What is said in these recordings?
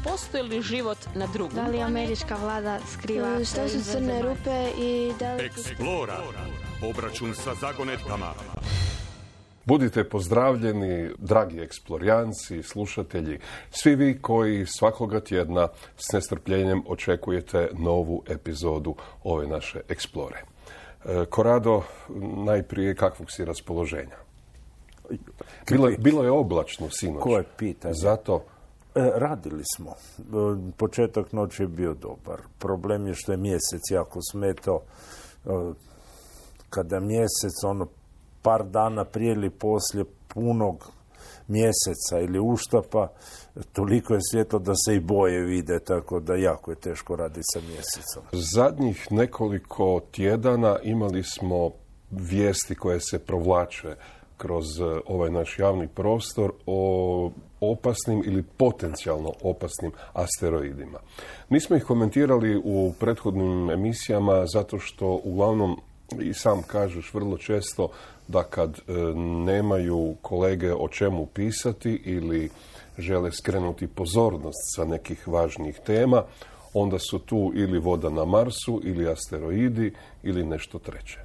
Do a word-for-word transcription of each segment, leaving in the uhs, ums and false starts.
postoji li život na drugom Da li američka vlada skriva... Šta su crne rupe i da li... Eksplora. Obračun sa zagonetkama. Budite pozdravljeni, dragi eksplorijanci, slušatelji, svi vi koji svakoga tjedna s nestrpljenjem očekujete novu epizodu ove naše Eksplore. Korado, najprije kakvog si raspoloženja? Bilo, bilo je oblačno sinoć. Koje pitanje? Zato... E, radili smo. Početak noći je bio dobar. Problem je što je mjesec jako smetao. Kada mjesec, ono, par dana prije ili poslije punog mjeseca ili uštapa, toliko je svjetlo da se i boje vide, tako da jako je teško raditi sa mjesecom. Zadnjih nekoliko tjedana imali smo vijesti koje se provlače kroz ovaj naš javni prostor o opasnim ili potencijalno opasnim asteroidima. Nismo ih komentirali u prethodnim emisijama zato što uglavnom i sam kažeš vrlo često da kad e, nemaju kolege o čemu pisati ili žele skrenuti pozornost sa nekih važnijih tema, onda su tu ili voda na Marsu, ili asteroidi, ili nešto treće.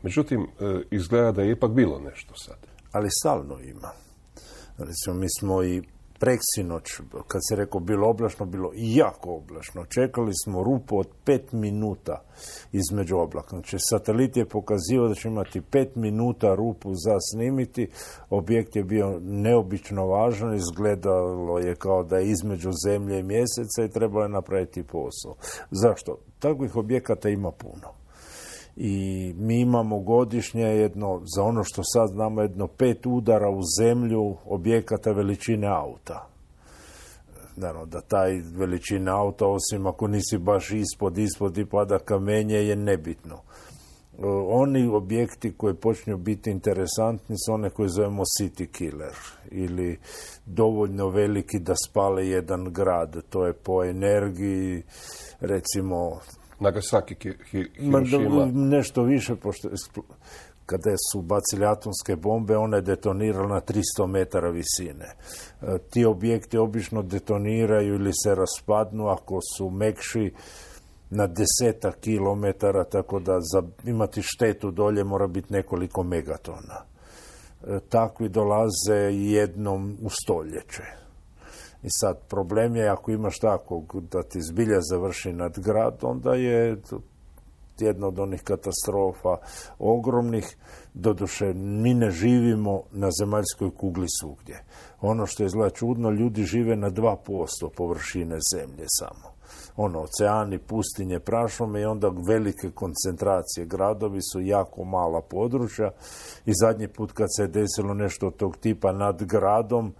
Međutim, e, izgleda da je ipak bilo nešto sad. Ali stalno ima. Recimo, mi smo i preksinoć, kad se rekao bilo oblačno, bilo jako oblačno. Čekali smo rupu od pet minuta između oblaka. Znači, satelit je pokazivao da će imati pet minuta rupu za snimiti. Objekt je bio neobično važan, izgledalo je kao da je između zemlje i mjeseca i trebalo je napraviti posao. Zašto? Takvih objekata ima puno. I mi imamo godišnje jedno, za ono što sad znamo, jedno pet udara u zemlju objekata veličine auta. Naravno, da taj veličine auta, osim ako nisi baš ispod, ispod i pada kamenje, je nebitno. Oni objekti koji počinju biti interesantni su one koje zovemo city killer ili dovoljno veliki da spale jedan grad. To je po energiji, recimo... Nagasaki, Hirošima. Nešto više, pošto kada su bacili atomske bombe, ona je detonirala na tristo metara visine. E, ti objekti obično detoniraju ili se raspadnu ako su mekši na desetak kilometara, tako da za imati štetu dolje mora biti nekoliko megatona. E, takvi dolaze jednom u stoljeće. I sad, problem je, ako imaš takvog da ti zbilja završi nad grad, onda je jedna od onih katastrofa ogromnih. Doduše, mi ne živimo na zemaljskoj kugli svugdje. Ono što je izgleda čudno, ljudi žive na dva posto površine zemlje samo. Ono, oceani, pustinje, prašume i onda velike koncentracije. Gradovi su jako mala područja i zadnji put kad se je desilo nešto od tog tipa nad gradom,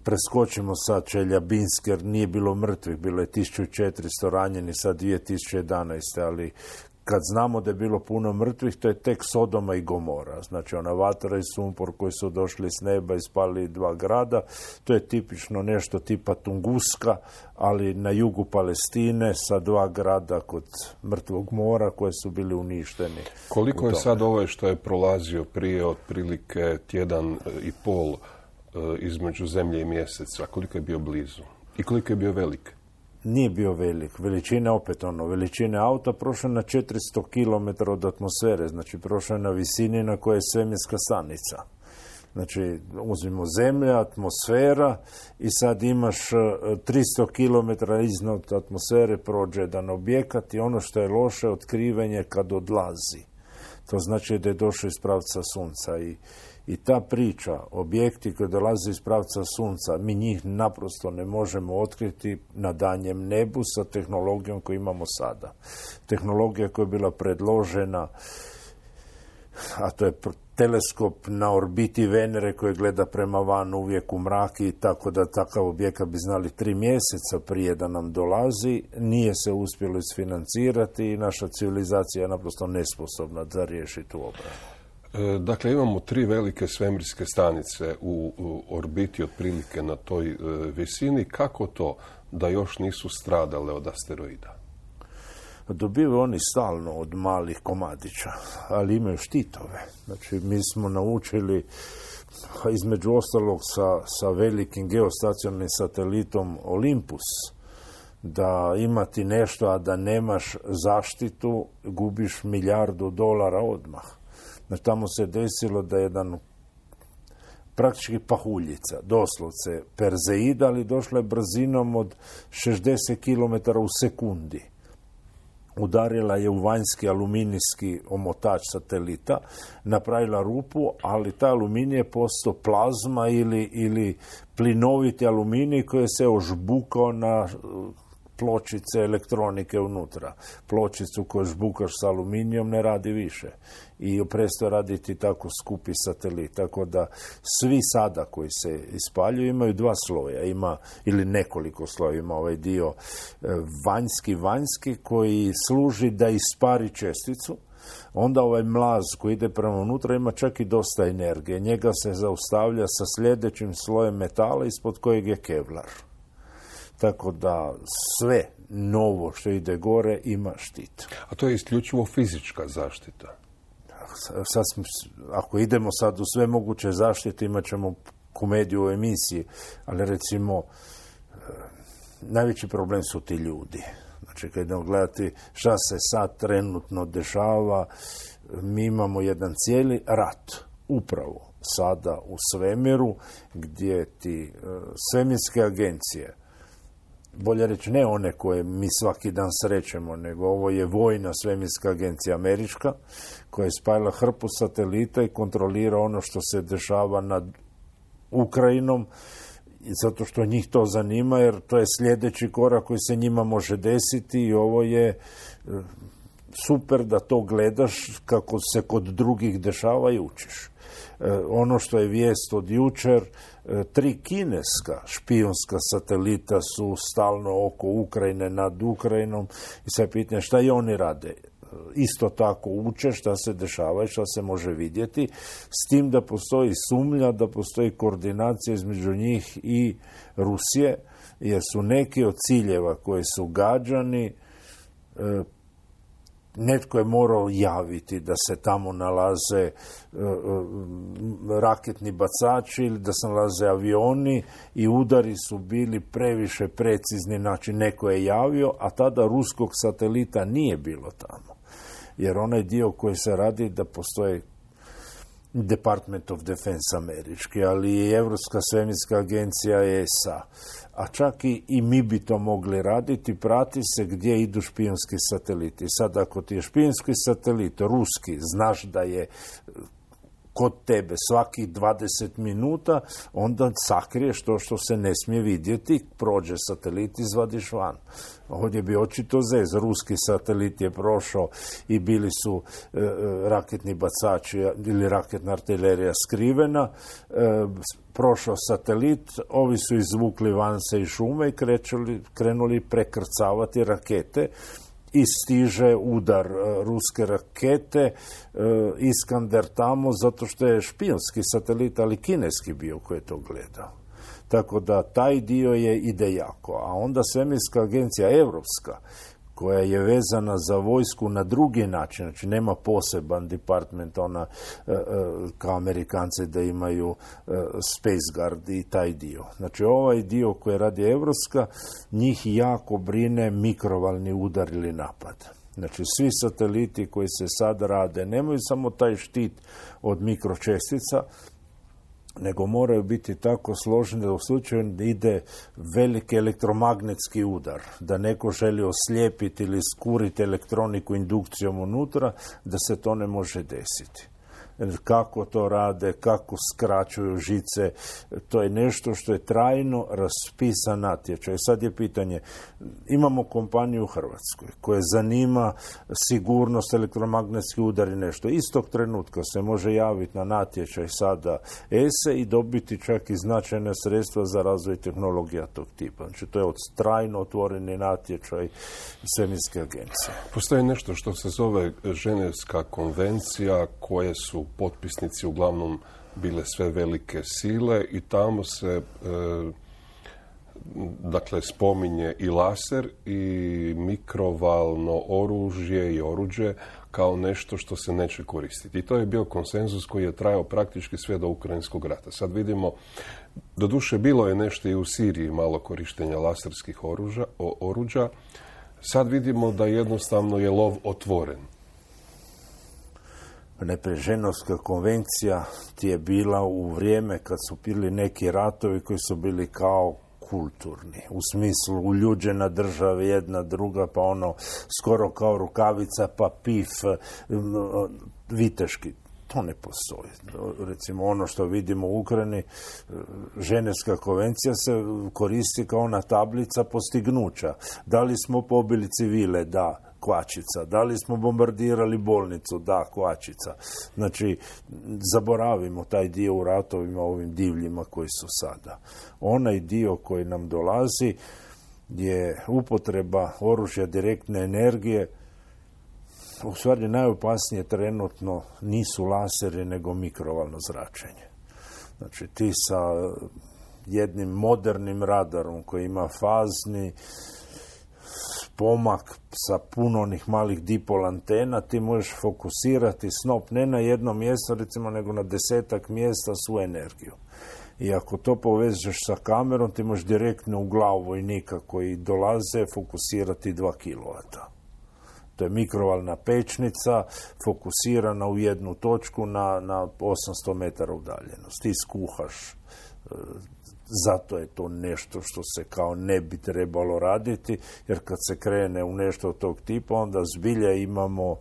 preskočimo sad Čeljabinsk jer nije bilo mrtvih, bilo je tisuću četiristo ranjeni, sad dvije tisuće jedanaeste. Ali kad znamo da je bilo puno mrtvih, to je tek Sodoma i Gomora. Znači ona vatra i sumpor koji su došli s neba i spali dva grada, to je tipično nešto tipa Tunguska, ali na jugu Palestine sa dva grada kod Mrtvog mora koje su bili uništeni. Koliko je sad ovo što je prolazio prije otprilike tjedan i pol između zemlje i mjeseca, koliko je bio blizu i koliko je bio velik? Nije bio velik. Veličina, opet ono, veličine auta prošla na četiristo kilometara od atmosfere, znači prošla na visini na kojoj je svemirska stanica. Znači, uzmimo zemlja, atmosfera i sad imaš tristo kilometara iznad atmosfere prođe jedan objekat i ono što je loše, otkrivanje kad odlazi. To znači da je došao iz pravca sunca i I ta priča, objekti koji dolaze iz pravca sunca, mi njih naprosto ne možemo otkriti na danjem nebu sa tehnologijom koju imamo sada. Tehnologija koja je bila predložena, a to je teleskop na orbiti Venere koji gleda prema van uvijek u mrak i tako da takav objekat bi znali tri mjeseca prije da nam dolazi, nije se uspjelo isfinancirati i naša civilizacija je naprosto nesposobna da riješi tu obranu. Dakle, imamo tri velike svemirske stanice u, u orbiti otprilike na toj e, visini. Kako to da još nisu stradale od asteroida? dobivaju oni stalno od malih komadića, ali imaju štitove. Znači, mi smo naučili, između ostalog sa, sa velikim geostacionarnim satelitom Olympus, da imati nešto, a da nemaš zaštitu, gubiš milijardu dolara odmah. Znači, tamo se desilo da jedan praktički pahuljica, doslovce Perzeida, ali došla je brzinom od šezdeset kilometara u sekundi. Udarila je u vanjski aluminijski omotač satelita, napravila rupu, ali taj aluminij je postao plazma ili, ili plinoviti aluminij koji se ožbukao na pločice elektronike unutra. Pločicu koju žbukaš s aluminijom ne radi više. I prestao raditi tako skupi satelit. Tako da svi sada koji se ispaljuju imaju dva sloja. Ima, ili nekoliko sloja. Ima ovaj dio vanjski, vanjski koji služi da ispari česticu. Onda ovaj mlaz koji ide prema unutra ima čak i dosta energije. Njega se zaustavlja sa sljedećim slojem metala ispod kojeg je kevlar. Tako da sve novo što ide gore ima štit. A to je isključivo fizička zaštita? Sad, ako idemo sad u sve moguće zaštite, imat ćemo komediju u emisiji, ali recimo najveći problem su ti ljudi. Znači, kad idemo gledati šta se sad trenutno dešava, mi imamo jedan cijeli rat upravo sada u svemiru, gdje ti svemirske agencije, bolje reći ne one koje mi svaki dan srećemo, nego ovo je vojna svemirska agencija američka, koja je spajala hrpu satelita i kontrolira ono što se dešava nad Ukrajinom, zato što njih to zanima, jer to je sljedeći korak koji se njima može desiti i ovo je super da to gledaš kako se kod drugih dešava i učiš. Ono što je vijest od jučer, tri kineska špijunska satelita su stalno oko Ukrajine, nad Ukrajinom i sad pitanje šta i oni rade. Isto tako uče šta se dešava i šta se može vidjeti, s tim da postoji sumnja, da postoji koordinacija između njih i Rusije, jer su neki od ciljeva koji su gađani, netko je morao javiti da se tamo nalaze uh, raketni bacači ili da se nalaze avioni i udari su bili previše precizni, znači neko je javio, a tada ruskog satelita nije bilo tamo. Jer onaj dio koji se radi da postoje Department of Defense američki, ali i Europska svemirska agencija E S A. A čak i, i mi bi to mogli raditi, prati se gdje idu špijunski sateliti. Sad ako ti je špijunski satelit ruski, znaš da je kod tebe svakih dvadeset minuta, onda sakriješ to što se ne smije vidjeti, prođe satelit, izvadiš van. Ovdje bi očito zez. Ruski satelit je prošao i bili su e, raketni bacači ili raketna artilerija skrivena, e, prošao satelit, ovi su izvukli van se iz šume i krećuli, krenuli prekrcavati rakete i stiže udar uh, ruske rakete, uh, Iskander tamo, zato što je špijunski satelit, ali kineski bio koji je to gledao. Tako da taj dio je ide jako. A onda svemirska agencija evropska, koja je vezana za vojsku na drugi način, znači nema poseban department, ona uh, uh, kao Amerikanci da imaju uh, Space Guard i taj dio. Znači ovaj dio koji radi evropska, njih jako brine mikrovalni udar ili napad. Znači svi sateliti koji se sad rade nemaju samo taj štit od mikročestica, nego moraju biti tako složeni da u slučaju da ide veliki elektromagnetski udar, da neko želi oslijepiti ili skuriti elektroniku indukcijom unutra, da se to ne može desiti. Kako to rade, kako skraćuju žice, to je nešto što je trajno raspisan natječaj. Sad je pitanje, imamo kompaniju u Hrvatskoj koja zanima sigurnost, elektromagnetski udar i nešto. Istog trenutka se može javiti na natječaj sada E S E i dobiti čak i značajne sredstva za razvoj tehnologija tog tipa. Znači to je od trajno otvoreni natječaj svemirske agencije. Postoji nešto što se zove Ženevska konvencija, koje su potpisnici uglavnom bile sve velike sile i tamo se e, dakle, spominje i laser i mikrovalno oružje i oruđe kao nešto što se neće koristiti. I to je bio konsenzus koji je trajao praktički sve do Ukrajinskog rata. Sad vidimo, doduše bilo je nešto i u Siriji malo korištenja laserskih oruža, o, oruđa. Sad vidimo da jednostavno je lov otvoren. Najprije Ženevska konvencija ti je bila u vrijeme kad su bili neki ratovi koji su bili kao kulturni, u smislu uljuđena država jedna druga, pa ono skoro kao rukavica, pa pif, viteški. To ne postoji. Recimo ono što vidimo u Ukrajini, Ženevska konvencija se koristi kao ona tablica postignuća. Da li smo pobili civile? Da, kvačica. Da li smo bombardirali bolnicu? Da, kvačica. Znači, zaboravimo taj dio u ratovima, ovim divljima koji su sada. Onaj dio koji nam dolazi je upotreba oružja direktne energije. U stvari najopasnije trenutno nisu laseri nego mikrovalno zračenje. Znači ti sa jednim modernim radarom koji ima fazni pomak sa puno onih malih dipol antena, ti možeš fokusirati snop ne na jedno mjesto, recimo, nego na desetak mjesta svu energiju. I ako to povežeš sa kamerom, ti možeš direktno u glavu vojnika koji dolaze fokusirati dva kilovata. To je mikrovalna pečnica fokusirana u jednu točku na, na osamsto metara udaljenost. Ti skuhaš. Zato je to nešto što se kao ne bi trebalo raditi, jer kad se krene u nešto od tog tipa, onda zbilja imamo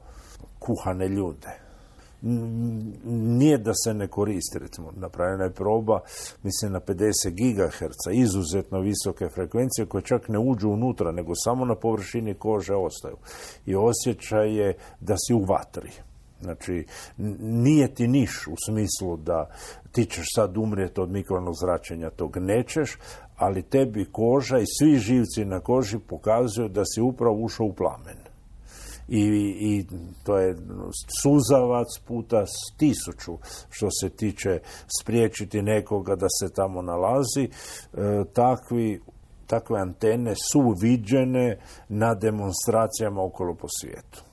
kuhane ljude. Nije da se ne koristi, recimo, napravljena je proba, mislim, na pedeset gigaherca, izuzetno visoke frekvencije koje čak ne uđu unutra, nego samo na površini kože ostaju. I osjećaj je da si u vatri. Znači, nije ti niš u smislu da ti ćeš sad umrijeti od mikrovalnog zračenja, tog nećeš, ali tebi koža i svi živci na koži pokazuju da si upravo ušao u plamen. I, i to je suzavac puta tisuću što se tiče spriječiti nekoga da se tamo nalazi. E, takvi, takve antene su viđene na demonstracijama okolo po svijetu.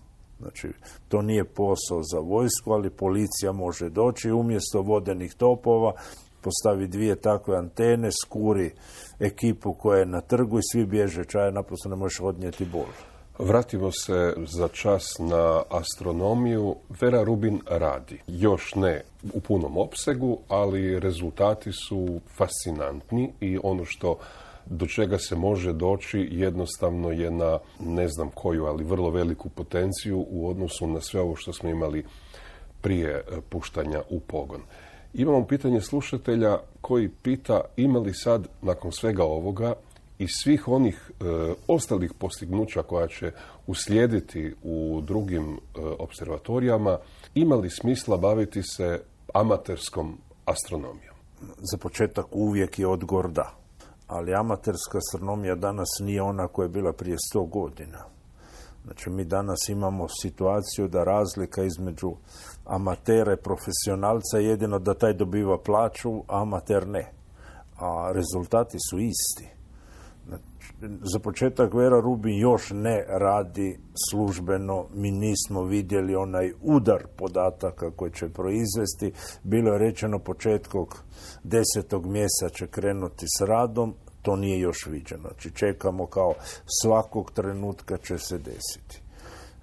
Znači, to nije posao za vojsku, ali policija može doći i umjesto vodenih topova postavi dvije takve antene, skuri ekipu koja je na trgu i svi bježe čaje, naprosto ne možeš odnijeti bol. Vratimo se za čas na astronomiju. Vera Rubin radi. Još ne u punom opsegu, ali rezultati su fascinantni i ono što do čega se može doći jednostavno je na, ne znam koju, ali vrlo veliku potenciju u odnosu na sve ovo što smo imali prije puštanja u pogon. Imamo pitanje slušatelja koji pita ima li sad, nakon svega ovoga i svih onih e, ostalih postignuća koja će uslijediti u drugim e, observatorijama, ima li smisla baviti se amaterskom astronomijom? Za početak uvijek je odgovor da. Ali amaterska astronomija danas nije ona koja je bila prije sto godina. Znači, mi danas imamo situaciju da razlika između amatera i profesionalca je jedino da taj dobiva plaću, a amater ne. A rezultati su isti. Znači, za početak Vera Rubin još ne radi službeno, mi nismo vidjeli onaj udar podataka koji će proizvesti. Bilo je rečeno početkom desetog mjeseca će krenuti s radom, to nije još viđeno. Znači, čekamo kao svakog trenutka će se desiti.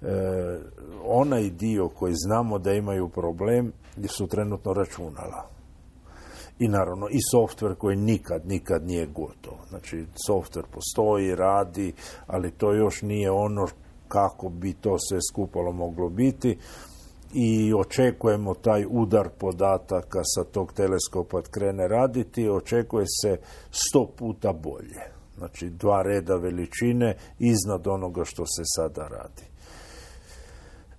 E, onaj dio koji znamo da imaju problem su trenutno računala. I naravno i softver koji nikad, nikad nije gotov. Znači, softver postoji, radi, ali to još nije ono kako bi to sve skupalo moglo biti. I očekujemo taj udar podataka sa tog teleskopa krene raditi, očekuje se sto puta bolje. Znači, dva reda veličine iznad onoga što se sada radi.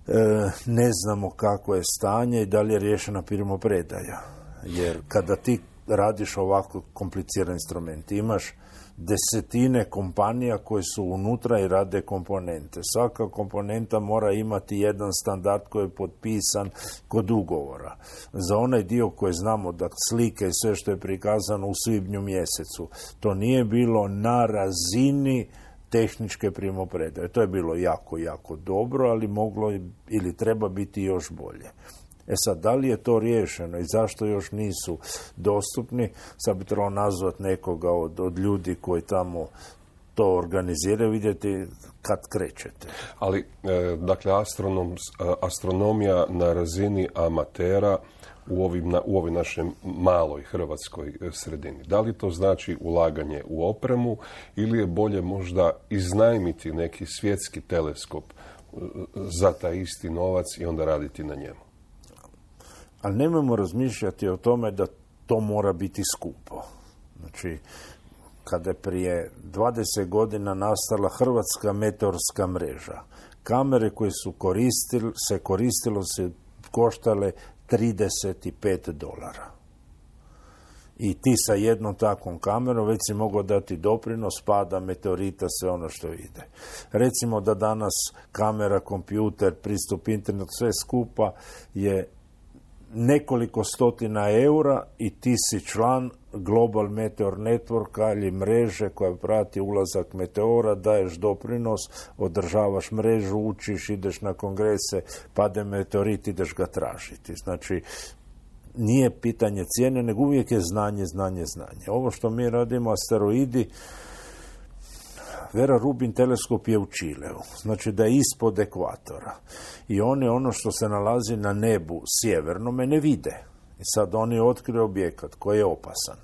E, ne znamo kako je stanje i da li je riješena primopredaja. Jer kada ti radiš ovako kompliciran instrument, imaš desetine kompanija koje su unutra i rade komponente. Svaka komponenta mora imati jedan standard koji je potpisan kod ugovora. Za onaj dio koji znamo, da slike i sve što je prikazano u svibnju mjesecu, to nije bilo na razini tehničke primopredaje. To je bilo jako, jako dobro, ali moglo ili treba biti još bolje. E sad, da li je to riješeno i zašto još nisu dostupni, sad bi trebalo nazvati nekoga od, od ljudi koji tamo to organiziraju, vidjeti kad krećete. Ali, e, dakle, astronom, astronomija na razini amatera u, ovim, na, u ovoj našoj maloj hrvatskoj sredini. Da li to znači ulaganje u opremu ili je bolje možda iznajmiti neki svjetski teleskop za taj isti novac i onda raditi na njemu? Ali nemojmo razmišljati o tome da to mora biti skupo. Znači, kada je prije dvadeset godina nastala Hrvatska meteorska mreža, kamere koje su koristili, se koristilo se koštale trideset pet dolara. I ti sa jednom takvom kamerom već si mogao dati doprinos pada meteorita, sve ono što ide. Recimo da danas kamera, kompjuter, pristup internetu, sve skupa je nekoliko stotina eura i ti si član Global Meteor Networka ili mreže koja prati ulazak meteora, daješ doprinos, održavaš mrežu, učiš, ideš na kongrese, pade meteorit, ideš ga tražiti. Znači, nije pitanje cijene, nego uvijek je znanje, znanje, znanje. Ovo što mi radimo, asteroidi, Vera Rubin teleskop je u Čileu, znači da je ispod ekvatora. I oni ono što se nalazi na nebu sjevernome ne vide. I sad oni otkriju objekat koji je opasan.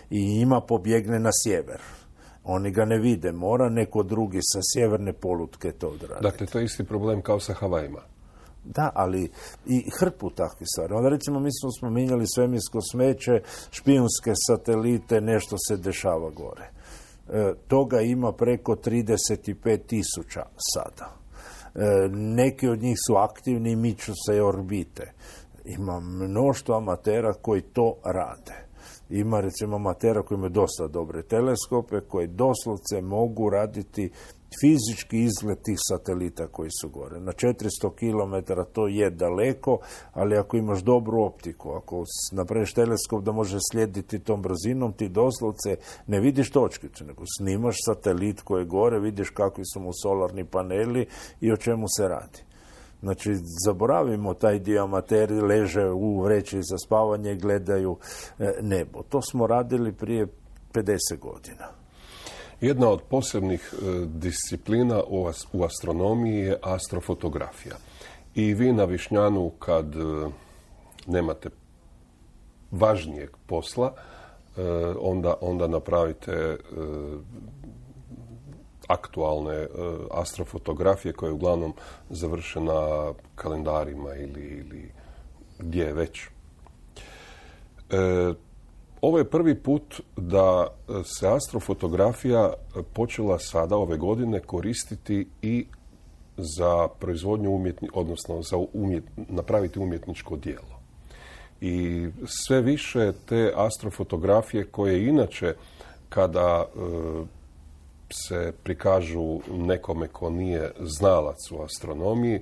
I njima pobjegne na sjever. Oni ga ne vide, mora neko drugi sa sjeverne polutke to odraditi. Dakle, to je isti problem kao sa Havajima. Da, ali i hrpu takvih stvari. Onda recimo mi smo spominjali svemirsko smeće, špijunske satelite, nešto se dešava gore. E, toga ima preko trideset pet tisuća sada. E, neki od njih su aktivni i miču se orbite. Ima mnoštvo amatera koji to rade. Ima recimo amatera koji imaju dosta dobre teleskope, koji doslovce mogu raditi fizički izgled tih satelita koji su gore. Na četiristo kilometara to je daleko, ali ako imaš dobru optiku, ako napraviš teleskop da može slijediti tom brzinom, ti doslovce ne vidiš točkicu, nego snimaš satelit koji je gore, vidiš kakvi su mu solarni paneli i o čemu se radi. Znači, zaboravimo taj dio, amateri leže u vreći za spavanje i gledaju nebo. To smo radili prije pedeset godina. Jedna od posebnih e, disciplina u, as, u astronomiji je astrofotografija. I vi na Višnjanu, kad e, nemate važnijeg posla, e, onda, onda napravite e, aktualne e, astrofotografije koje uglavnom završe na kalendarima ili, ili gdje već. E, Ovo je prvi put da se astrofotografija počela sada ove godine koristiti i za proizvodnju umjetni, odnosno za umjet, napraviti umjetničko djelo. I sve više te astrofotografije koje inače kada e, se prikažu nekome ko nije znalac u astronomiji,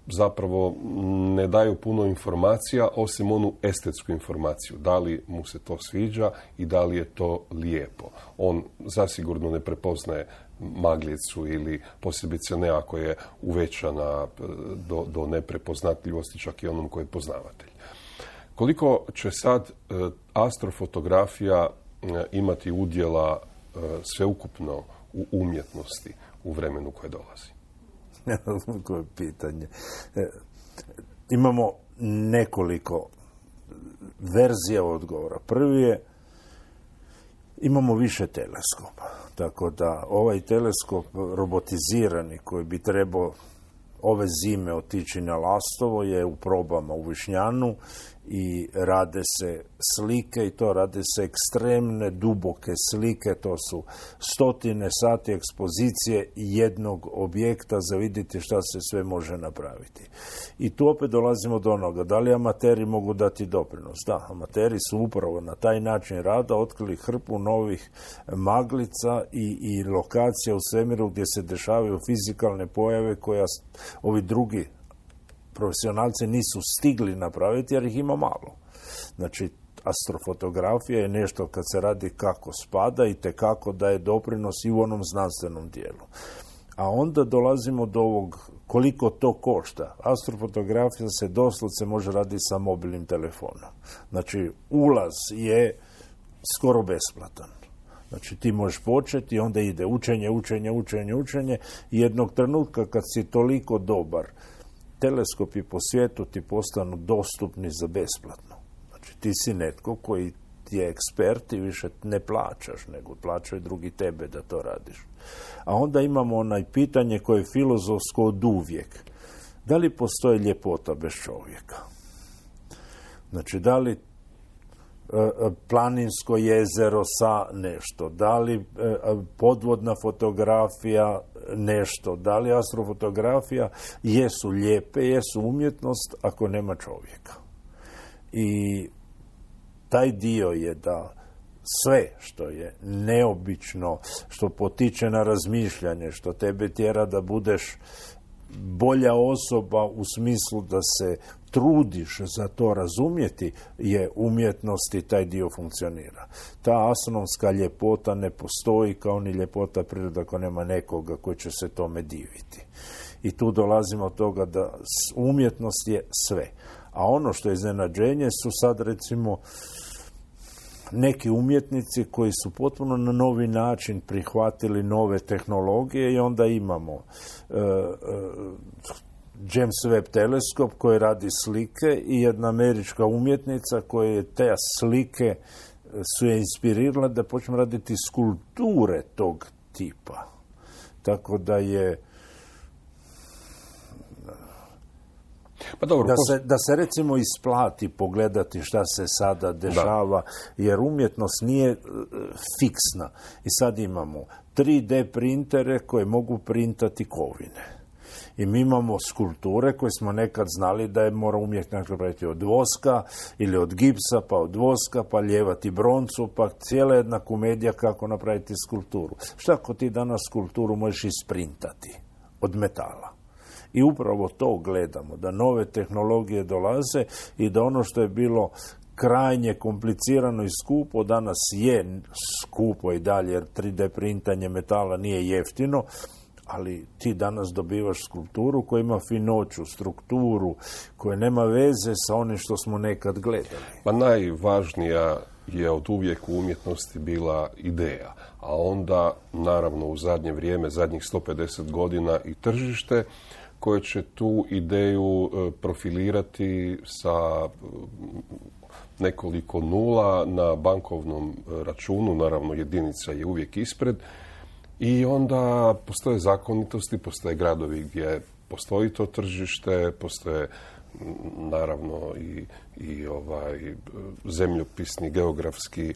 zapravo ne daju puno informacija, osim onu estetsku informaciju. Da li mu se to sviđa i da li je to lijepo. On zasigurno ne prepoznaje maglicu ili posebice ne ako je uvećana do, do neprepoznatljivosti, čak i onom koji je poznavatelj. Koliko će sad astrofotografija imati udjela sveukupno u umjetnosti u vremenu koje dolazi? Koje je pitanje. E, imamo nekoliko verzija odgovora. Prvi je, imamo više teleskopa. Tako da ovaj teleskop robotizirani koji bi trebao ove zime otići na Lastovo je u probama u Višnjanu i rade se slike i to rade se ekstremne duboke slike, to su stotine sati ekspozicije jednog objekta za vidjeti šta se sve može napraviti. I tu opet dolazimo do onoga, da li amateri mogu dati doprinos? Da, amateri su upravo na taj način rada otkrili hrpu novih maglica i, i lokacija u svemiru gdje se dešavaju fizikalne pojave koja ovi drugi profesionalci nisu stigli napraviti jer ih ima malo. Znači, astrofotografija je nešto kad se radi kako spada i tekako daje doprinos i u onom znanstvenom dijelu. A onda dolazimo do ovog koliko to košta. Astrofotografija se doslovce može raditi sa mobilnim telefonom. Znači, ulaz je skoro besplatan. Znači, ti možeš početi i onda ide učenje, učenje, učenje, učenje i jednog trenutka kad si toliko dobar, teleskopi po svijetu ti postanu dostupni za besplatno. Znači, ti si netko koji ti je ekspert i više ne plaćaš, nego plaćaju drugi tebe da to radiš. A onda imamo onaj pitanje koje je filozofsko od uvijek. Da li postoji ljepota bez čovjeka? Znači, da li planinsko jezero sa nešto, da li podvodna fotografija nešto, da li astrofotografija jesu lijepe, jesu umjetnost ako nema čovjeka. I taj dio je da sve što je neobično, što potiče na razmišljanje, što tebe tjera da budeš bolja osoba u smislu da se trudiš za to razumjeti, je umjetnost i taj dio funkcionira. Ta astronomska ljepota ne postoji kao ni ljepota prirode ako nema nekoga koji će se tome diviti. I tu dolazimo od toga da umjetnost je sve. A ono što je iznenađenje su sad recimo neki umjetnici koji su potpuno na novi način prihvatili nove tehnologije i onda imamo uh, uh, James Webb teleskop koji radi slike i jedna američka umjetnica koja je te slike su je inspirirala da počne raditi skulpture tog tipa. Tako da je Pa dobro, da, se, da se recimo isplati pogledati šta se sada dešava, da. Jer umjetnost nije uh, fiksna. I sad imamo tri D printere koje mogu printati kovine. I mi imamo skulpture koje smo nekad znali da je mora umjetnik napraviti od voska ili od gipsa, pa od voska, pa ljevati broncu, pa cijela jedna komedija kako napraviti skulpturu. Šta ako ti danas skulpturu možeš isprintati od metala? I upravo to gledamo, da nove tehnologije dolaze i da ono što je bilo krajnje komplicirano i skupo, danas je skupo i dalje, jer tri D printanje metala nije jeftino, ali ti danas dobivaš skulpturu koja ima finoću, strukturu, koja nema veze sa onim što smo nekad gledali. Pa najvažnija je od uvijek u umjetnosti bila ideja, a onda, naravno, u zadnje vrijeme, zadnjih sto pedeset godina i tržište, koje će tu ideju profilirati sa nekoliko nula na bankovnom računu, naravno jedinica je uvijek ispred, i onda postoje zakonitosti, postoje gradovi gdje postoji to tržište, postoje naravno i, i ovaj, zemljopisni, geografski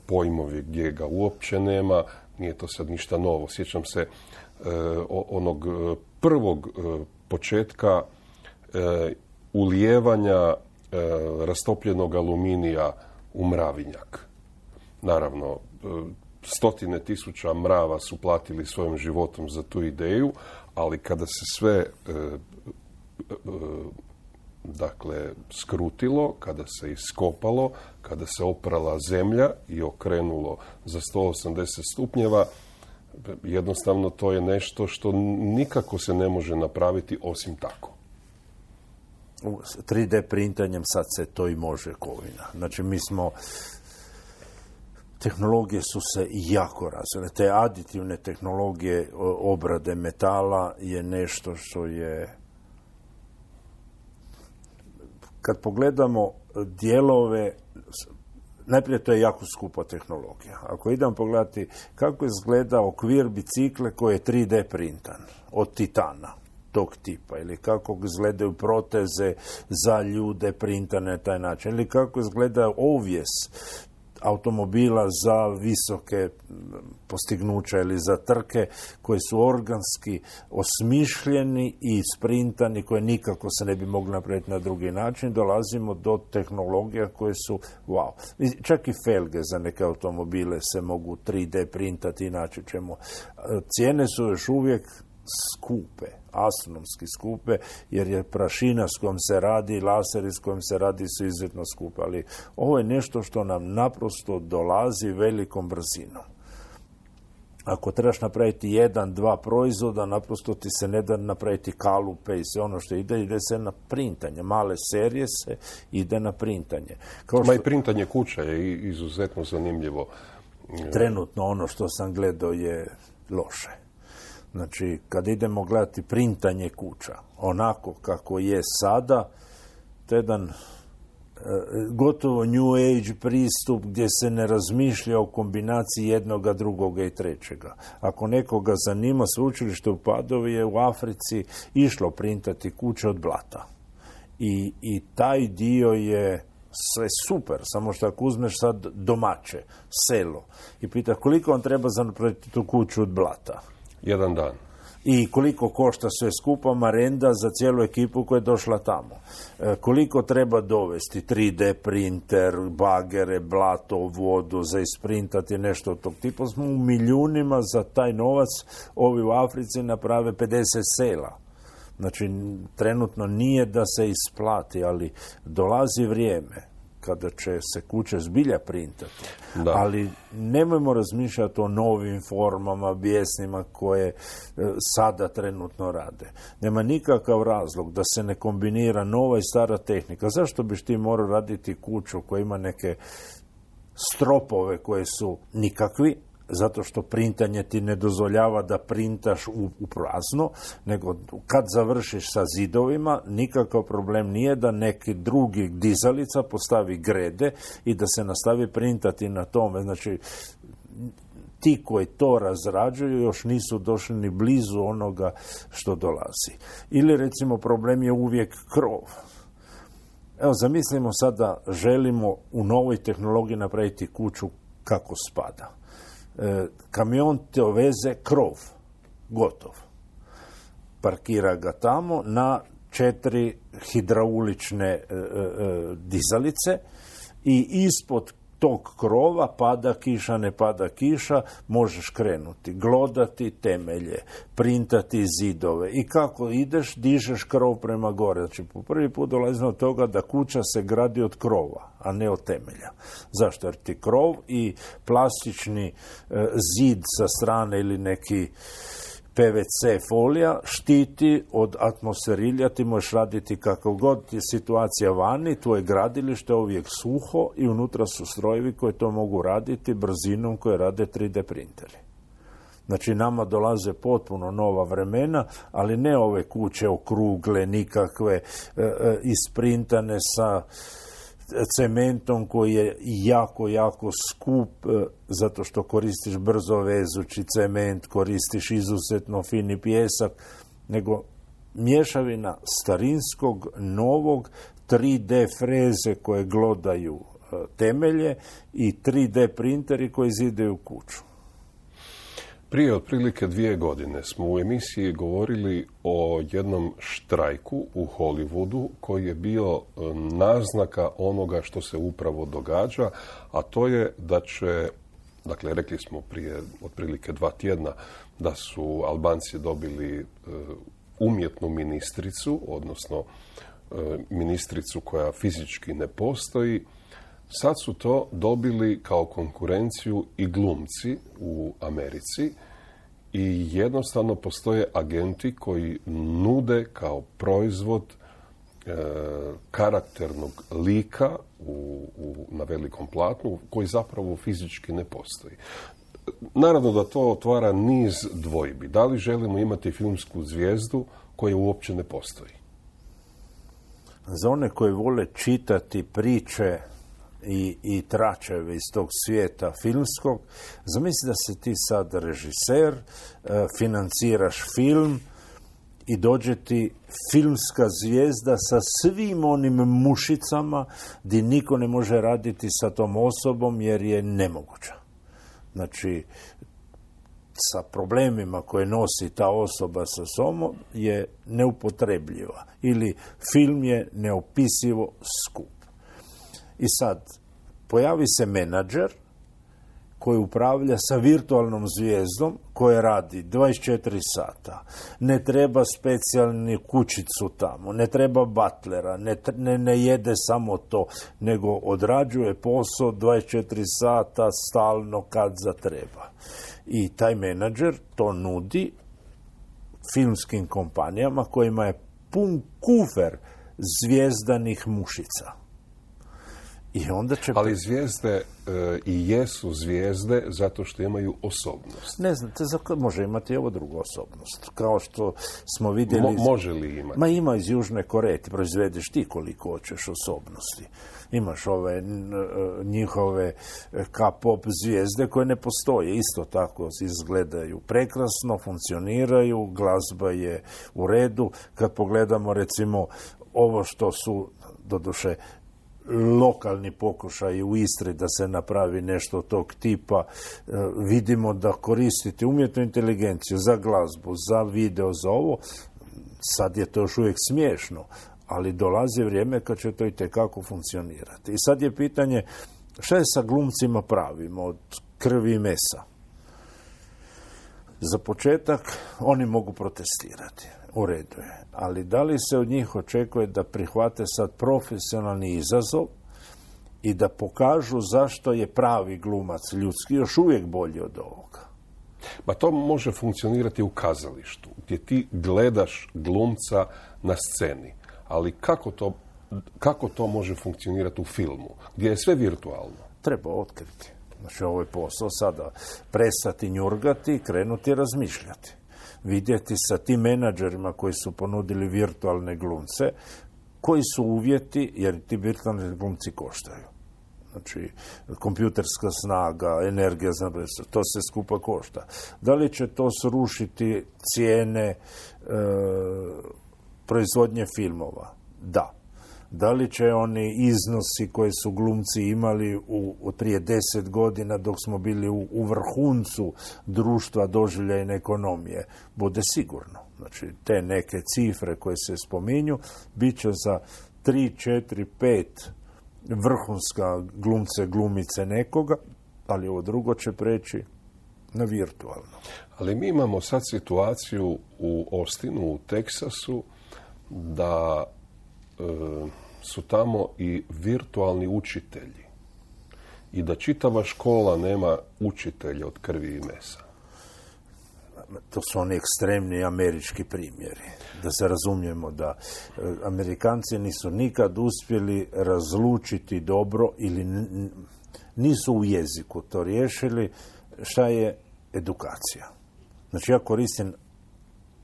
pojmovi gdje ga uopće nema, nije to sad ništa novo. Sjećam se onog prvog početka ulijevanja rastopljenog aluminija u mravinjak. Naravno, stotine tisuća mrava su platili svojim životom za tu ideju, ali kada se sve dakle skrutilo, kada se iskopalo, kada se oprala zemlja i okrenulo za sto osamdeset stupnjeva, jednostavno to je nešto što nikako se ne može napraviti osim tako. tri D printanjem sad se to i može kovina. Znači mi smo, tehnologije su se jako razvile. Te aditivne tehnologije obrade metala je nešto što je, kad pogledamo dijelove, najprije to je jako skupa tehnologija. Ako idem pogledati kako izgleda okvir bicikle koji je tri D printan od titana, tog tipa, ili kako izgledaju proteze za ljude printane na taj način, ili kako izgleda ovjes automobila za visoke postignuća ili za trke koji su organski osmišljeni i sprintani, koje nikako se ne bi mogli napraviti na drugi način. Dolazimo do tehnologija koje su wow. Čak i felge za neke automobile se mogu tri D printati, inače ćemo. Cijene su još uvijek skupe, astronomski skupe, jer je prašina s kojom se radi, laseri s kojim se radi su izuzetno skupe, ali ovo je nešto što nam naprosto dolazi velikom brzinom. Ako trebaš napraviti jedan, dva proizvoda, naprosto ti se ne da napraviti kalupe i sve ono što ide, ide se na printanje. Male serije se ide na printanje. Kao što... Ma i printanje kuća je izuzetno zanimljivo. Trenutno ono što sam gledao je loše. Znači, kad idemo gledati printanje kuća, onako kako je sada, to je jedan e, gotovo new age pristup gdje se ne razmišlja o kombinaciji jednoga, drugoga i trećega. Ako nekoga zanima, sveučilište u Padovi je u Africi išlo printati kuće od blata. I, i taj dio je sve super, samo što ako uzmeš sad domaće, selo, i pita koliko on treba za napraviti tu kuću od blata. Jedan dan. I koliko košta sve skupa marenda za cijelu ekipu koja je došla tamo. E, koliko treba dovesti tri D printer, bagere, blato, vodu za isprintati nešto od tog tipa. Smo u milijunima za taj novac ovi u Africi naprave pedeset sela. Znači, trenutno nije da se isplati, ali dolazi vrijeme kada će se kuće zbilja printati. Da. Ali nemojmo razmišljati o novim formama bijesnima koje e, sada trenutno rade. Nema nikakav razlog da se ne kombinira nova i stara tehnika. Zašto biš ti morao raditi kuću koja ima neke stropove koje su nikakvi, zato što printanje ti ne dozvoljava da printaš u, u prazno, nego kad završiš sa zidovima, nikakav problem nije da neki drugi dizalica postavi grede i da se nastavi printati na tome. Znači, ti koji to razrađuju još nisu došli ni blizu onoga što dolazi. Ili recimo problem je uvijek krov. Evo, zamislimo sada, želimo u novoj tehnologiji napraviti kuću kako spada. E, kamion te oveze krov, gotov. Parkira ga tamo na četiri hidraulične e, e, dizalice i ispod tog krova pada kiša, ne pada kiša, možeš krenuti, glodati temelje, printati zidove i kako ideš, dižeš krov prema gore. Znači, po prvi put dolazimo od toga da kuća se gradi od krova, a ne od temelja. Zašto? Jer ti krov i plastični e, zid sa strane ili neki P V C folija štiti od atmosferilja, ti možeš raditi kako god je situacija vani, tvoje gradilište je uvijek suho i unutra su strojevi koji to mogu raditi brzinom koje rade tri D printeri. Znači, nama dolaze potpuno nova vremena, ali ne ove kuće okrugle, nikakve, e, e, isprintane sa cementom koji je jako, jako skup e, zato što koristiš brzo vezući cement, koristiš izuzetno fini pijesak, nego mješavina starinskog, novog, tri D freze koje glodaju e, temelje i tri D printeri koji zidaju kuću. Prije otprilike dvije godine smo u emisiji govorili o jednom štrajku u Hollywoodu koji je bio naznaka onoga što se upravo događa, a to je da će, dakle, rekli smo prije otprilike dva tjedna da su Albanci dobili umjetnu ministricu, odnosno ministricu koja fizički ne postoji. Sad su to dobili kao konkurenciju i glumci u Americi i jednostavno postoje agenti koji nude kao proizvod e, karakternog lika u, u, na velikom platnu koji zapravo fizički ne postoji. Naravno da to otvara niz dvojbi. Da li želimo imati filmsku zvijezdu koja uopće ne postoji? Za one koji vole čitati priče i, i tračeve iz tog svijeta filmskog, zamisli da si ti sad režiser, e, financiraš film i dođe ti filmska zvijezda sa svim onim mušicama gdje niko ne može raditi sa tom osobom jer je nemoguća. Znači, sa problemima koje nosi ta osoba sa sobom je neupotrebljiva ili film je neopisivo skup. I sad, pojavi se menadžer koji upravlja sa virtualnom zvijezdom koja radi dvadeset četiri sata. Ne treba specijalnu kućicu tamo, ne treba butlera, ne, ne, ne jede samo to, nego odrađuje posao dvadeset četiri sata stalno kad zatreba. I taj menadžer to nudi filmskim kompanijama kojima je pun kufer zvijezdanih mušica. I onda će... Ali zvijezde e, i jesu zvijezde zato što imaju osobnost. Ne znate, može imati ovo drugu osobnost. Kao što smo vidjeli... Mo, može li imati? Ma ima iz Južne Koreje, ti proizvedeš ti koliko hoćeš osobnosti. Imaš ove njihove K-pop zvijezde koje ne postoje. Isto tako izgledaju prekrasno, funkcioniraju, glazba je u redu. Kad pogledamo recimo ovo što su, doduše, lokalni pokušaj u Istri da se napravi nešto tog tipa, vidimo da koristiti umjetnu inteligenciju za glazbu, za video, za ovo, sad je to još uvijek smiješno, ali dolazi vrijeme kad će to i tekako funkcionirati. I sad je pitanje šta je sa glumcima pravim od krvi i mesa? Za početak oni mogu protestirati. U redu je. Ali da li se od njih očekuje da prihvate sad profesionalni izazov i da pokažu zašto je pravi glumac ljudski još uvijek bolji od ovoga? Pa to može funkcionirati u kazalištu, gdje ti gledaš glumca na sceni. Ali kako to, kako to može funkcionirati u filmu, gdje je sve virtualno? Treba otkriti. Znači, ovo je posao sada. Prestati njurgati i krenuti razmišljati. Vidjeti sa tim menadžerima koji su ponudili virtualne glumce, koji su uvjeti, jer ti virtualni glumci koštaju. Znači, kompjuterska snaga, energija, to se skupa košta. Da li će to srušiti cijene e, proizvodnje filmova? Da. Da li će oni iznosi koje su glumci imali u, u prije deset godina dok smo bili u, u vrhuncu društva doživljajne ekonomije? Bude sigurno. Znači, te neke cifre koje se spominju bit će za tri, četiri, pet vrhunska glumce, glumice nekoga, ali ovo drugo će preći na virtualno. Ali mi imamo sad situaciju u Austinu, u Teksasu, da su tamo i virtualni učitelji i da čitava škola nema učitelja od krvi i mesa. To su oni ekstremni američki primjeri. Da se razumijemo da Amerikanci nisu nikad uspjeli razlučiti dobro ili nisu u jeziku to riješili šta je edukacija. Znači ja koristim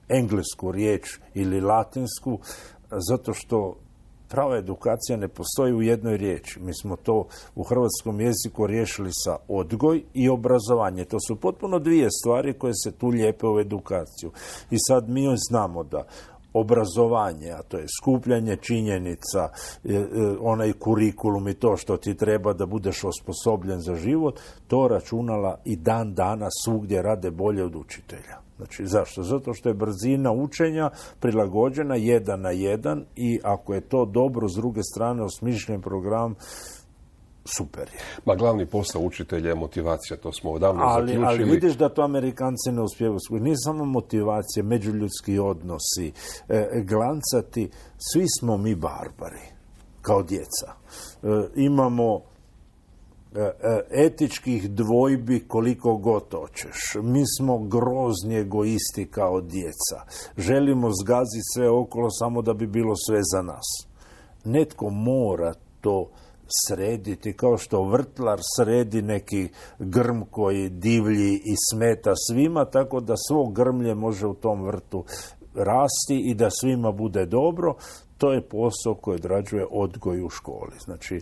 englesku riječ ili latinsku zato što prava edukacija ne postoji u jednoj riječi. Mi smo to u hrvatskom jeziku riješili sa odgoj i obrazovanje. To su potpuno dvije stvari koje se tu lijepe u edukaciju. I sad mi znamo da obrazovanje, a to je skupljanje činjenica, onaj kurikulum i to što ti treba da budeš osposobljen za život, to računala i dan dana svugdje rade bolje od učitelja. Znači, zašto? Zato što je brzina učenja prilagođena jedan na jedan i ako je to dobro, s druge strane, osmišljen program, super je. Ma glavni posao učitelja je motivacija, to smo odavno ali, zaključili. Ali vidiš da to Amerikanci ne uspijevaju. Nije samo motivacija, međuljudski odnosi, e, glancati. Svi smo mi barbari, kao djeca. E, imamo etičkih dvojbi koliko god hoćeš. Mi smo grozni egoisti kao djeca. Želimo zgaziti sve okolo samo da bi bilo sve za nas. Netko mora to srediti, kao što vrtlar sredi neki grm koji divlji i smeta svima, tako da svo grmlje može u tom vrtu rasti i da svima bude dobro. To je posao koji odrađuje odgoj u školi. Znači,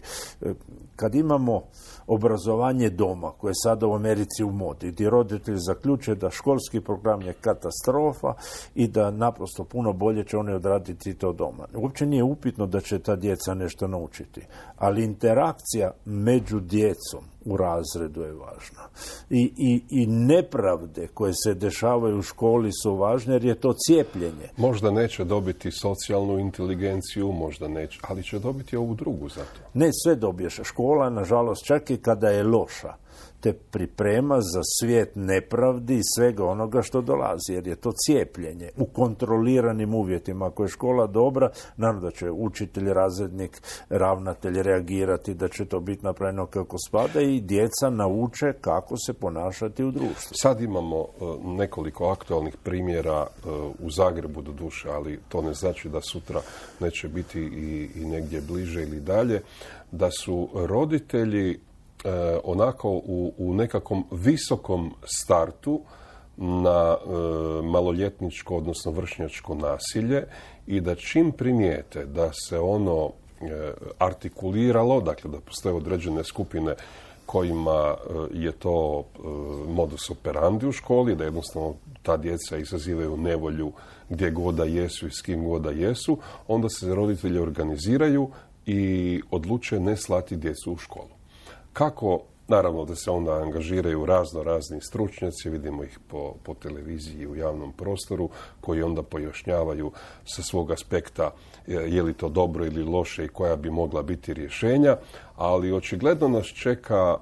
kad imamo obrazovanje doma, koje je sada u Americi u modi, gdje roditelji zaključuju da školski program je katastrofa i da naprosto puno bolje će oni odraditi to doma. Uopće nije upitno da će ta djeca nešto naučiti, ali interakcija među djecom u razredu je važna. I, i, i nepravde koje se dešavaju u školi su važne jer je to cijepljenje. Možda neće dobiti socijalnu inteligenciju, možda neće, ali će dobiti ovu drugu za to. Ne, sve dobiješ. Škola, nažalost, čak i kada je loša, te priprema za svijet nepravdi i svega onoga što dolazi, jer je to cijepljenje u kontroliranim uvjetima. Ako je škola dobra, naravno da će učitelj, razrednik, ravnatelj reagirati, da će to biti napravljeno kako spada i djeca nauče kako se ponašati u društvu. Sad imamo uh, nekoliko aktualnih primjera uh, u Zagrebu do duše, ali to ne znači da sutra neće biti i, i negdje bliže ili dalje, da su roditelji E, onako u, u nekakvom visokom startu na e, maloljetničko, odnosno vršnjačko nasilje i da čim primijete da se ono e, artikuliralo, dakle da postoje određene skupine kojima e, je to e, modus operandi u školi, da jednostavno ta djeca izazivaju nevolju gdje god da jesu i s kim god da jesu, onda se roditelji organiziraju i odluče ne slati djecu u školu. Kako, naravno da se onda angažiraju razno razni stručnjaci, vidimo ih po, po televiziji i u javnom prostoru, koji onda pojašnjavaju sa svog aspekta je li to dobro ili loše i koja bi mogla biti rješenja, ali očigledno nas čeka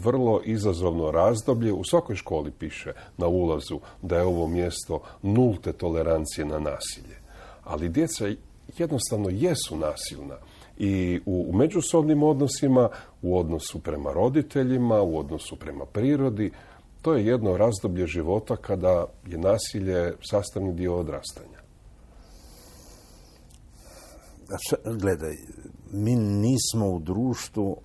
vrlo izazovno razdoblje. U svakoj školi piše na ulazu da je ovo mjesto nulte tolerancije na nasilje. Ali djeca jednostavno jesu nasilna. I u međusobnim odnosima, u odnosu prema roditeljima, u odnosu prema prirodi, to je jedno razdoblje života kada je nasilje sastavni dio odrastanja. Gledaj, mi nismo u društvu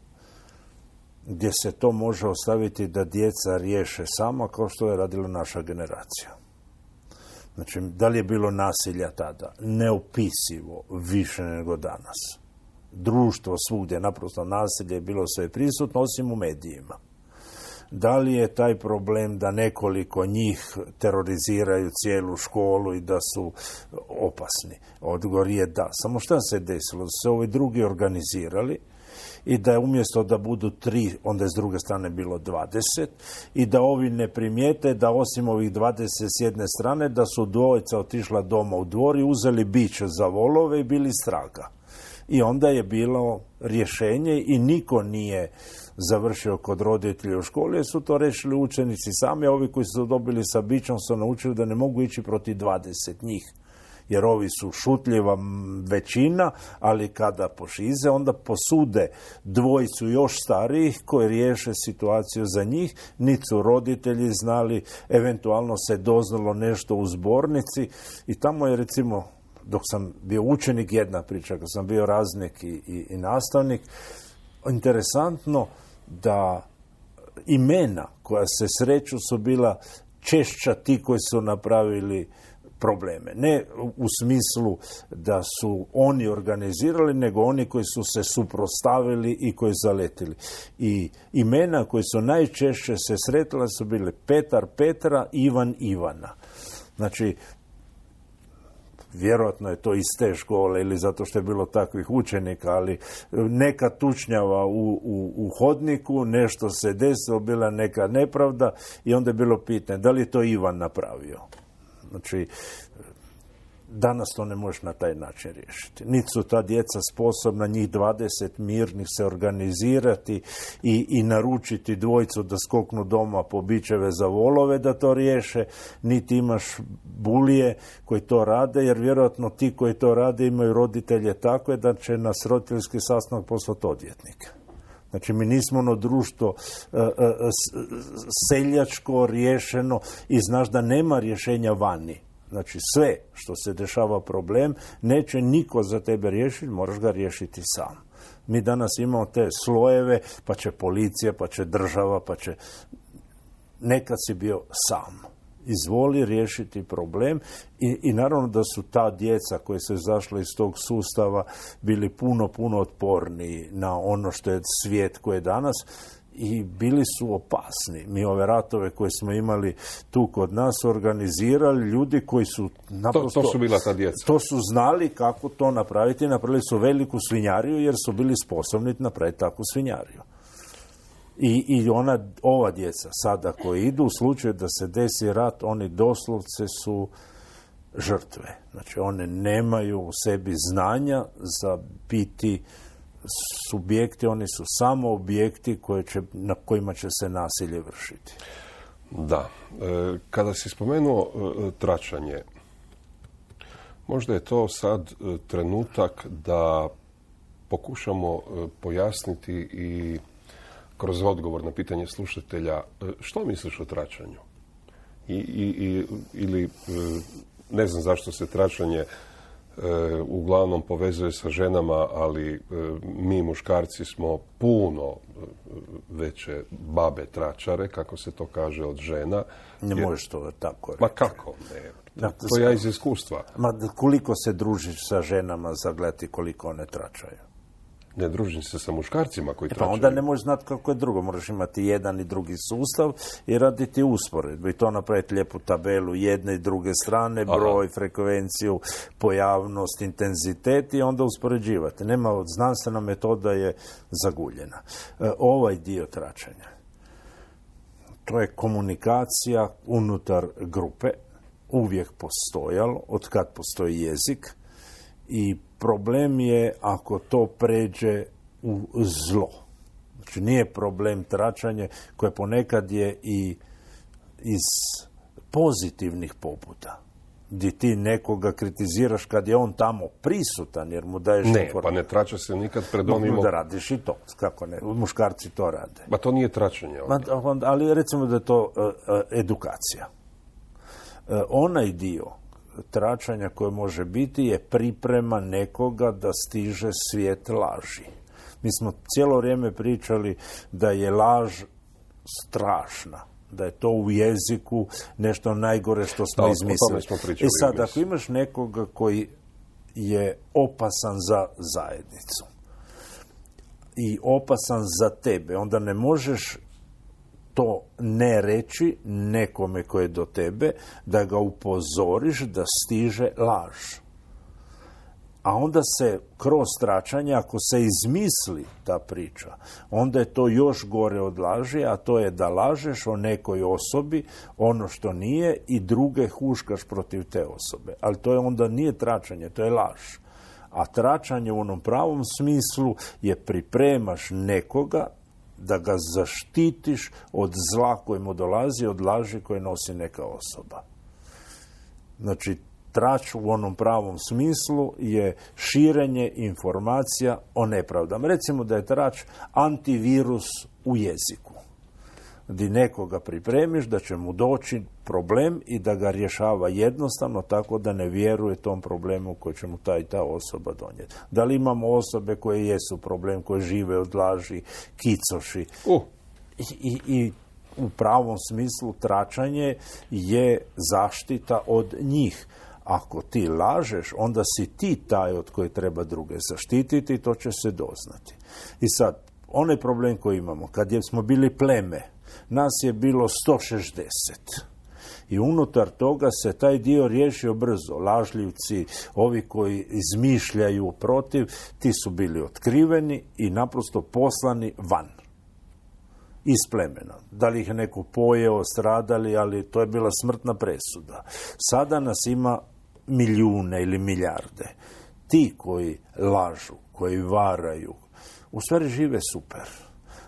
gdje se to može ostaviti da djeca riješe sama kao što je radila naša generacija. Znači, da li je bilo nasilja tada? Neopisivo više nego danas. Društvo svugdje, naprosto nasilje je bilo sve prisutno, osim u medijima. Da li je taj problem da nekoliko njih teroriziraju cijelu školu i da su opasni? Odgovor je da. Samo šta se desilo? Da se ovi drugi organizirali i da je umjesto da budu tri, onda je s druge strane bilo dvadeset i da ovi ne primijete da osim ovih dvadeset s jedne strane da su dvojica otišla doma u dvor i uzeli biće za volove i bili straga. I onda je bilo rješenje i niko nije završio kod roditelja u školi, jer su to rešili učenici sami, a ovi koji su dobili sa bićom su naučili da ne mogu ići protiv dvadeset njih. Jer ovi su šutljiva većina, ali kada pošize, onda posude dvojicu još starijih koji riješe situaciju za njih. Niti su roditelji znali, eventualno se doznalo nešto u zbornici i tamo je recimo, dok sam bio učenik, jedna priča, kad sam bio razrednik i, i, i nastavnik, interesantno da imena koja se sreću su bila češća ti koji su napravili probleme. Ne u smislu da su oni organizirali, nego oni koji su se suprotstavili i koji zaletili. I imena koji su najčešće se sretile su bile Petar Petra, Ivan Ivana. Znači, vjerojatno je to iz te škole ili zato što je bilo takvih učenika, ali neka tučnjava u, u, u hodniku, nešto se desilo, bila neka nepravda i onda je bilo pitanje da li je to Ivan napravio. Znači, danas to ne možeš na taj način riješiti. Niti su ta djeca sposobna, njih dvadeset mirnih, se organizirati i, i naručiti dvojicu da skoknu doma po bičeve za volove da to riješe, niti imaš bulije koji to rade, jer vjerojatno ti koji to rade imaju roditelje takve da će nas roditeljski sastanak poslati odvjetnike. Znači, mi nismo ono društvo uh, uh, seljačko, riješeno i znaš da nema rješenja vani. Znači, sve što se dešava problem, neće niko za tebe riješiti, moraš ga riješiti sam. Mi danas imamo te slojeve, pa će policija, pa će država, pa će... Nekad si bio sam. Izvoli riješiti problem i, i naravno da su ta djeca koja su izašla iz tog sustava bili puno, puno otporniji na ono što je svijet koji je danas i bili su opasni. Mi ove ratove koje smo imali tu kod nas organizirali ljudi koji su naprosto... To, to su bila ta djeca. To su znali kako to napraviti. Napravili su veliku svinjariju jer su bili sposobni napraviti takvu svinjariju. I, i ona, ova djeca sada koji idu u slučaju da se desi rat, oni doslovce su žrtve. Znači, one nemaju u sebi znanja za biti subjekti, oni su samo objekti koje će, na kojima će se nasilje vršiti. Da. E, kada si spomenuo e, tračanje, možda je to sad e, trenutak da pokušamo e, pojasniti i kroz odgovor na pitanje slušatelja, e, što misliš o tračanju? I, i, i, ili, e, ne znam zašto se tračanje E, uglavnom povezuje sa ženama, ali e, mi muškarci smo puno e, veće babe tračare, kako se to kaže, od žena. Ne Jer, možeš to tako reći. Ma kako? Ne. To, to ja iz iskustva. Ma koliko se družiš sa ženama za gledati koliko one tračaju? Ne družim se sa muškarcima koji e pa tračaju. onda ne možeš znati kako je drugo. Moraš imati jedan i drugi sustav i raditi usporedbu. I to napraviti lijepu tabelu jedne i druge strane, broj, Aha. frekvenciju, pojavnost, intenzitet i onda uspoređivati. Nema, znanstvena metoda je zaguljena. E, ovaj dio tračanja, to je komunikacija unutar grupe, uvijek postojalo, od kad postoji jezik, i problem je ako to pređe u zlo. Znači nije problem tračanje koje ponekad je i iz pozitivnih poputa, gdje ti nekoga kritiziraš kad je on tamo prisutan, jer mu daješ Ne, informaciju. pa ne trača se nikad pred onim... Da radiš i to, kako ne, muškarci to rade. Ma to nije tračanje. Ma, ali recimo da je to uh, uh, edukacija. Uh, onaj dio tračanja koje može biti je priprema nekoga da stiže svijet laži. Mi smo cijelo vrijeme pričali da je laž strašna, da je to u jeziku nešto najgore što smo da, izmislili. Smo pričali, I sad, ako imaš nekoga koji je opasan za zajednicu i opasan za tebe, onda ne možeš to ne reći nekome koje je do tebe, da ga upozoriš da stiže laž. A onda se kroz tračanje, ako se izmisli ta priča, onda je to još gore od laži, a to je da lažeš o nekoj osobi ono što nije i druge huškaš protiv te osobe. Ali to je onda nije tračanje, to je laž. A tračanje u onom pravom smislu je pripremaš nekoga da ga zaštitiš od zla koje mu dolazi, od laži koje nosi neka osoba. Znači, trač u onom pravom smislu je širenje informacija o nepravdama. Recimo da je trač antivirus u jeziku, gdje nekoga pripremiš da će mu doći problem i da ga rješava jednostavno tako da ne vjeruje tom problemu koji će mu ta i ta osoba donijeti. Da li imamo osobe koje jesu problem, koje žive od laži, kicoši? Uh. I, i, i u pravom smislu tračanje je zaštita od njih. Ako ti lažeš, onda si ti taj od koje treba druge zaštititi i to će se doznati. I sad, onaj problem koji imamo, kad je smo bili pleme, nas je bilo sto šezdeset. I unutar toga se taj dio riješio brzo. Lažljivci, ovi koji izmišljaju protiv, ti su bili otkriveni i naprosto poslani van. Iz plemena. Da li ih je neko pojeo, stradali, ali to je bila smrtna presuda. Sada nas ima milijune ili milijarde. Ti koji lažu, koji varaju, u stvari žive super.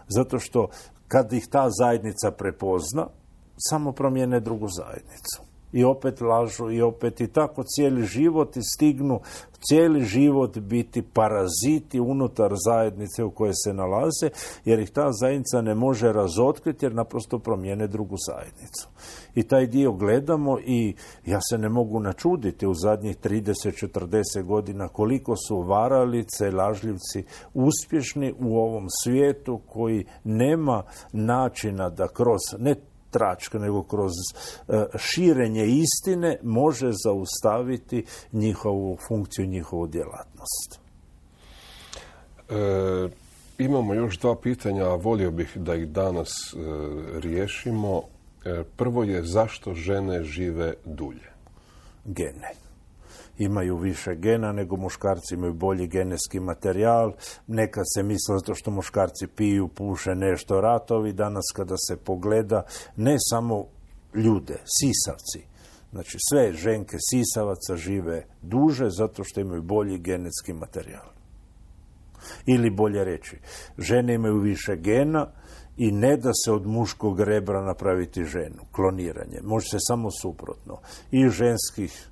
Zato što kad ih ta zajednica prepozna, samo promijene drugu zajednicu. I opet lažu, i opet i tako cijeli život i stignu cijeli život biti paraziti unutar zajednice u kojoj se nalaze, jer ih ta zajednica ne može razotkriti jer naprosto promijene drugu zajednicu. I taj dio gledamo i ja se ne mogu načuditi u zadnjih trideset četrdeset godina koliko su varalice, lažljivci uspješni u ovom svijetu koji nema načina da kroz, ne tračka, nego kroz uh, širenje istine može zaustaviti njihovu funkciju, njihovu djelatnost. E, imamo još dva pitanja, a volio bih da ih danas e, riješimo. E, prvo je zašto žene žive dulje? Gene. Imaju više gena nego muškarci, imaju bolji genetski materijal. Nekad se misle zato što muškarci piju, puše nešto, ratovi. Danas kada se pogleda, ne samo ljude, sisavci, znači sve ženke sisavaca žive duže zato što imaju bolji genetski materijal. Ili bolje reći, žene imaju više gena i ne da se od muškog rebra napraviti ženu, kloniranje. Može se samo suprotno. I ženskih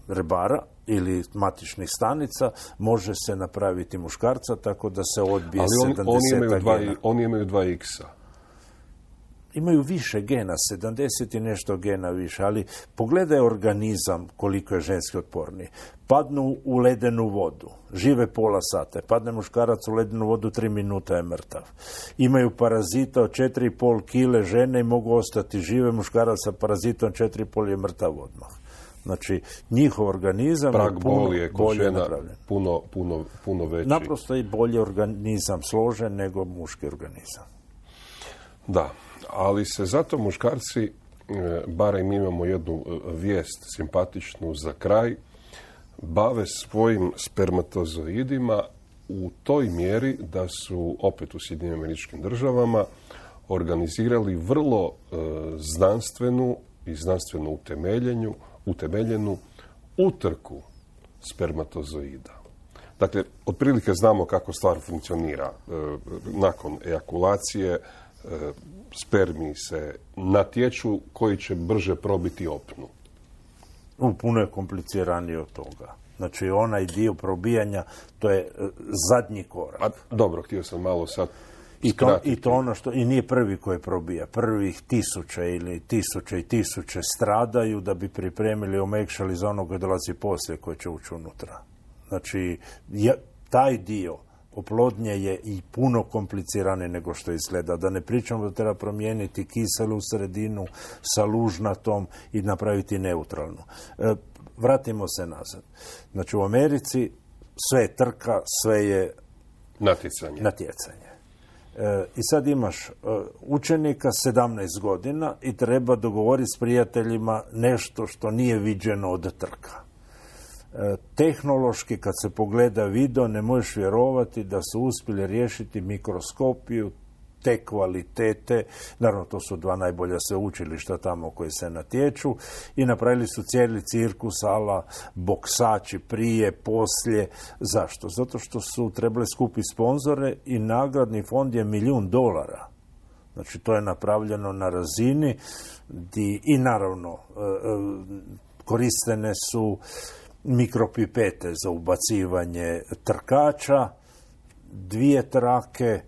rebara ili matičnih stanica može se napraviti muškarca, tako da se odbije Ali on, sedamdeset oni imaju dva, gena. oni imaju dva iksa. Imaju više gena, sedamdeset i nešto gena više, ali pogledaj organizam koliko je ženski otporniji. Padnu u ledenu vodu, žive pola sata, padne muškarac u ledenu vodu, tri minuta je mrtav. Imaju parazita od četiri i pol kile žene i mogu ostati žive, muškarac sa parazitom četiri i pol je mrtav odmah. Znači, njihov organizam Prag je puno boli je kod bolje žena napravljen. puno, puno, puno veći. Naprosto je bolji organizam složen nego muški organizam. Da, ali se zato muškarci, e, barem imamo jednu vijest simpatičnu za kraj, bave svojim spermatozoidima u toj mjeri da su opet u Sjedinjenim Američkim Državama organizirali vrlo e, znanstvenu i znanstveno utemeljenju, utemeljenu utrku spermatozoida. Dakle, otprilike znamo kako stvar funkcionira. E, nakon ejakulacije e, spermiji se natječu koji će brže probiti opnu. U, puno je kompliciranije od toga. Znači, onaj dio probijanja, to je e, zadnji korak. A, dobro, htio sam malo sad I to, skratiti. I to ono što, i nije prvi koji probija. Prvih tisuće ili tisuće i tisuće stradaju da bi pripremili, omekšali za ono koje dolazi poslije koje će ući unutra. Znači, je, taj dio oplodnje je i puno komplicirane nego što izgleda. Da ne pričamo da treba promijeniti kiselu sredinu sa lužnatom i napraviti neutralnu. E, vratimo se nazad. Znači, u Americi sve je trka, sve je natjecanje. natjecanje. E, I sad imaš e, učenika sedamnaest godina i treba dogovoriti s prijateljima nešto što nije viđeno od trka. E, tehnološki, kad se pogleda video, ne možeš vjerovati da su uspjeli riješiti mikroskopiju te kvalitete. Naravno, to su dva najbolja sveučilišta tamo koji se natječu i napravili su cijeli cirkus ala boksači prije, poslije. Zašto? Zato što su trebali skupiti sponzore i nagradni fond je milijun dolara. Znači, to je napravljeno na razini di, i naravno koristene su mikropipete za ubacivanje trkača, dvije trake,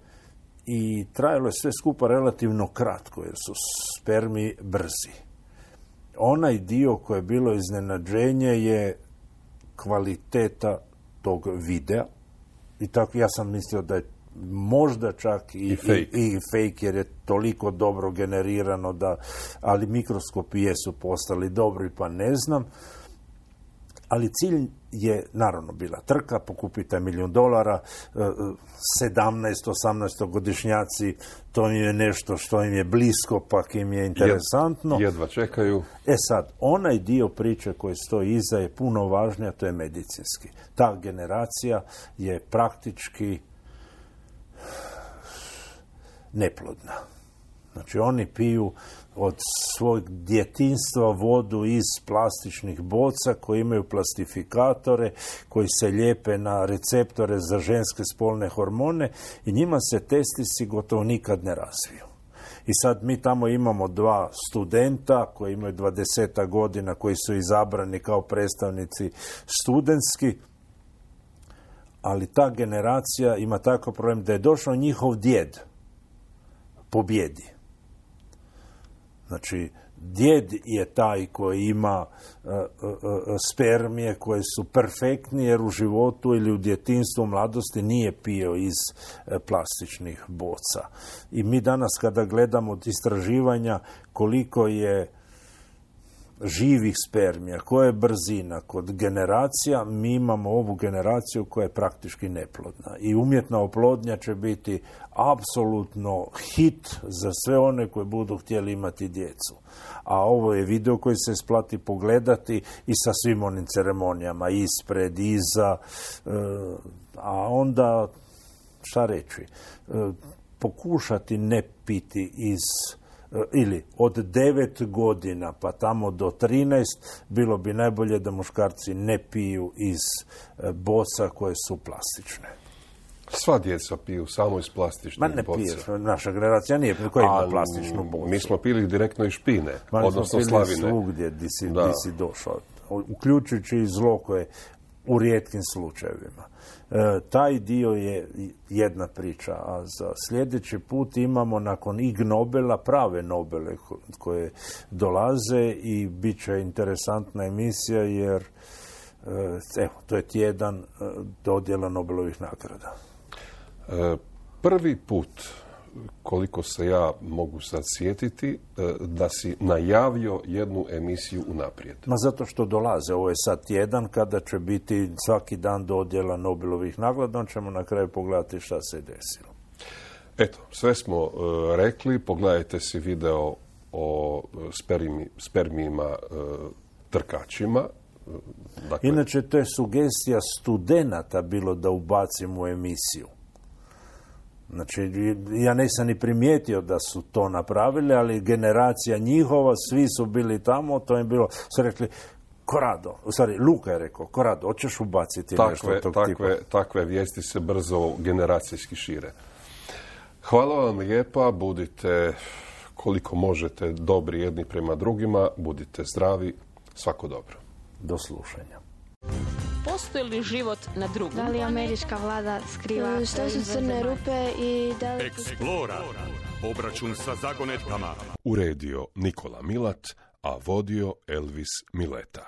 i trajalo je sve skupa relativno kratko, jer su spermi brzi. Onaj dio koji je bilo iznenađenje je kvaliteta tog videa. I tako ja sam mislio da je možda čak i, I, fake. i, i fake, jer je toliko dobro generirano da, ali mikroskopi jesu postali dobri, pa ne znam. Ali cilj je naravno bila trka, pokupite milijun dolara, sedamnaest osamnaest godišnjaci, to im je nešto što im je blisko, pa im je interesantno. Jedva čekaju. E sad, onaj dio priče koji stoji iza je puno važnija, to je medicinski. Ta generacija je praktički neplodna. Znači, oni piju od svojeg djetinjstva vodu iz plastičnih boca koji imaju plastifikatore, koji se lijepe na receptore za ženske spolne hormone i njima se testisi gotovo nikad ne razviju. I sad mi tamo imamo dva studenta koji imaju dvadeset godina, koji su izabrani kao predstavnici studentski, ali ta generacija ima takav problem da je došao njihov djed pobjedi. Znači, djed je taj koji ima uh, uh, spermije koje su perfektni jer u životu ili u djetinjstvu, u mladosti nije pio iz uh, plastičnih boca. I mi danas kada gledamo od istraživanja koliko je živih spermija, koja je brzina kod generacija, mi imamo ovu generaciju koja je praktički neplodna. I umjetna oplodnja će biti apsolutno hit za sve one koji budu htjeli imati djecu. A ovo je video koji se isplati pogledati i sa svim onim ceremonijama, ispred, iza, a onda, šta reći, pokušati ne piti iz ili od devet godina pa tamo do trinaest, bilo bi najbolje da muškarci ne piju iz boca koje su plastične. Sva djeca piju samo iz plastičnih boca. Ma ne piju, naša generacija nije, koja ima plastičnu bocu. Mi smo pili direktno iz špine, Ma, odnosno smo slavine. Pili svugdje di si, di si došao, uključujući i zlo koje u rijetkim slučajevima. E, taj dio je jedna priča, a za sljedeći put imamo nakon Ig Nobela prave Nobele koje dolaze i bit će interesantna emisija jer e, evo, to je tjedan e, dodjela Nobelovih nagrada. E, prvi put, koliko se ja mogu sad sjetiti, da si najavio jednu emisiju unaprijed. Ma zato što dolaze. Ovo je sad tjedan kada će biti svaki dan dodjela Nobelovih nagrada, on ćemo na kraju pogledati šta se je desilo. Eto, sve smo uh, rekli. Pogledajte si video o spermi, spermijima uh, trkačima. Dakle, inače, to je sugestija studenata bilo da ubacim u emisiju. Znači, ja nisam ni primijetio da su to napravili, ali generacija njihova, svi su bili tamo, to je bilo, su rekli, Korado, u stvari, Luka je rekao, Korado, hoćeš ubaciti takve, nešto tog takve, tipa? Takve vijesti se brzo generacijski šire. Hvala vam lijepa, budite koliko možete dobri jedni prema drugima, budite zdravi, svako dobro. Do slušanja. Postoji li život na drugom? Da li američka vlada skriva? Što su crne rupe i da li... Eksplora. Obračun sa zagonetkama. Uredio Nikola Milat, a vodio Elvis Mileta.